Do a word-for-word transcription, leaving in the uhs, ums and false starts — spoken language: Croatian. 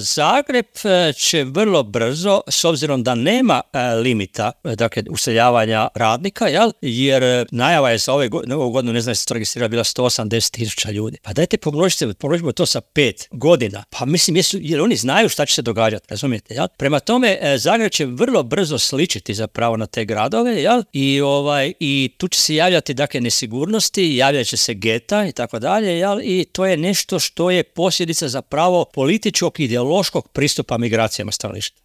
Zagreb će vrlo brzo, s obzirom da nema limita, dakle, useljavanja radnika, jel? Jer najava je za ove godine, ovu godinu, ne znam, se to registrirala, bila sto osamdeset tisuća ljudi. Pa dajte pomnožite, pomnožimo to sa pet godina. Pa mislim, jesu, jer oni znaju šta će se događati, razumijete, jel? Prema tome, Zagreb će vrlo brzo sličiti zapravo na te gradove, jel? I, ovaj, i tu će se javljati, dakle, nesigurnosti, javljat će se geta i tako dalje, jel? I to je nešto što je posljedica zapravo političkog ideološkog pristupa migracijama stanovništva.